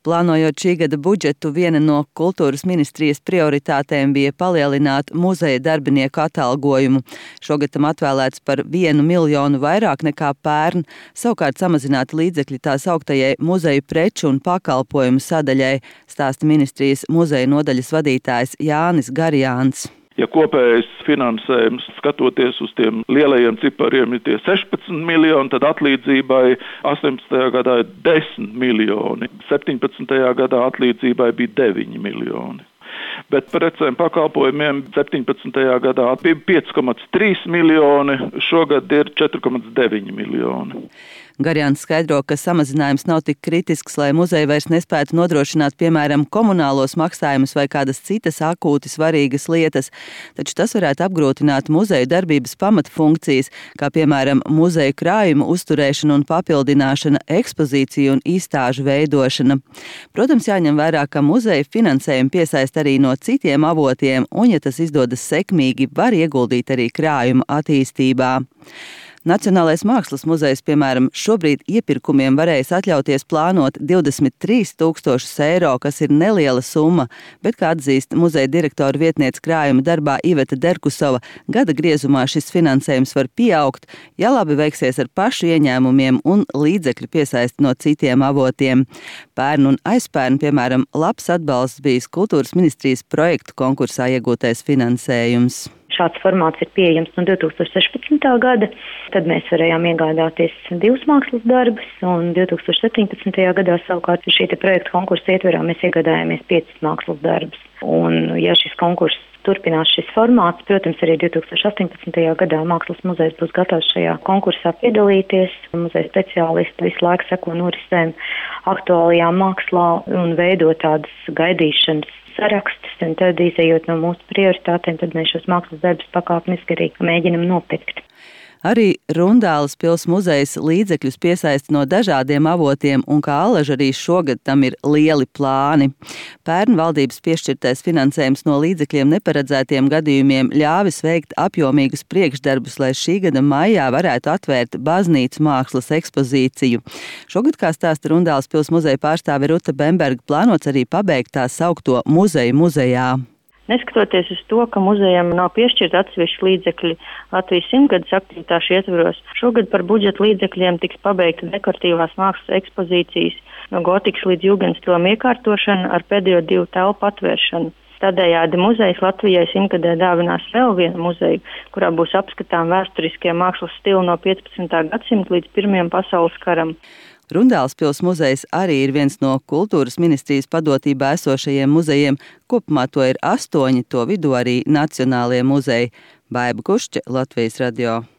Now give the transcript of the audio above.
Plānojot šī gada budžetu, viena no kultūras ministrijas prioritātēm bija palielināt muzeja darbinieku atalgojumu. Šogad tam atvēlēts par 1 miljonu vairāk nekā pērn, savukārt samazināti līdzekļi tā sauktajai muzeju preču un pakalpojumu sadaļai, stāsta ministrijas muzeja nodaļas vadītājs Jānis Garjāns. Ja kopējais finansējums, skatoties uz tiem lielajiem cipariem, ir tie 16 miljoni, tad atlīdzībai 18. gadā ir 10 miljoni, 17. gadā atlīdzībai bija 9 miljoni. Bet precēm pakalpojumiem 17. gadā bija 5,3 miljoni, šogad ir 4,9 miljoni. Garjāns skaidro, ka samazinājums nav tik kritisks, lai muzeji vairs nespētu nodrošināt, piemēram, komunālos maksājumus vai kādas citas akūti svarīgas lietas, taču tas varētu apgrūtināt muzeju darbības pamatfunkcijas, kā piemēram muzeju krājumu uzturēšana un papildināšana, ekspozīciju un izstāžu veidošana. Protams, jāņem vērā, ka muzeju finansējumu piesaist arī no citiem avotiem, un, ja tas izdodas sekmīgi, var ieguldīt arī krājuma attīstībā. Nacionālais mākslas muzejs, piemēram, šobrīd iepirkumiem varēs atļauties plānot 23 000 eiro, kas ir neliela summa, bet, kā atzīst muzeja direktora vietniece krājuma darbā Iveta Derkusova, gada griezumā šis finansējums var pieaugt, ja labi veiksies ar pašu ieņēmumiem un līdzekļu piesaist no citiem avotiem. Pērn un aizpērn, piemēram, labs atbalsts bijis kultūras ministrijas projektu konkursā iegūtais finansējums. Šāds formāts ir pieejams no 2016. gada, tad mēs varējām iegādāties 2 mākslas darbus, un 2017. gadā savukārt šī projekta konkursa ietverā mēs iegādājāmies 5 mākslas darbus. Un, ja šis konkurss turpinās šis formāts, protams, arī 2018. gadā Mākslas muzejs būs gatavs šajā konkursā piedalīties. Muzeja speciālisti visu laiku seko norisēm aktuālajā mākslā un veido tādas gaidīšanas sarakstus, un tad, izējot no mūsu prioritātēm, tad mēs šos mākslas darbus pakāpeniski arī mēģinam nopirkt. Arī Rundāles pils muzejs līdzekļus piesaist no dažādiem avotiem, un kā alaži arī šogad tam ir lieli plāni. Pērn valdības piešķirtais finansējums no līdzekļiem neparedzētiem gadījumiem ļāvis veikt apjomīgus priekšdarbus, lai šī gada maijā varētu atvērt baznīcu mākslas ekspozīciju. Šogad, kā stāsta Rundāles pils muzeja pārstāve Ruta Bemberga, plānots arī pabeigt tā saukto muzeju muzejā. Neskatoties uz to, ka muzejam nav piešķirta atsevišķi līdzekļi Latvijas 100-gades aktivitāšu ietvaros, šogad par budžeta līdzekļiem tiks pabeigta dekoratīvās mākslas ekspozīcijas no gotikas līdz jūgenstilam iekārtošana ar pēdējo 2 telpu atvēršanu. Tādējādi muzejs Latvijai 100-gadē dāvinās vēl vienu muzeju, kurā būs apskatām vēsturiskie mākslas stili no 15. gadsimta līdz Pirmajam pasaules karam. Rundāles pils muzejs arī ir viens no kultūras ministrijas padotībā esošajiem muzejiem. Kopumā to ir 8, to vidū arī nacionālie muzeji. Baiba Kušķe, Latvijas radio.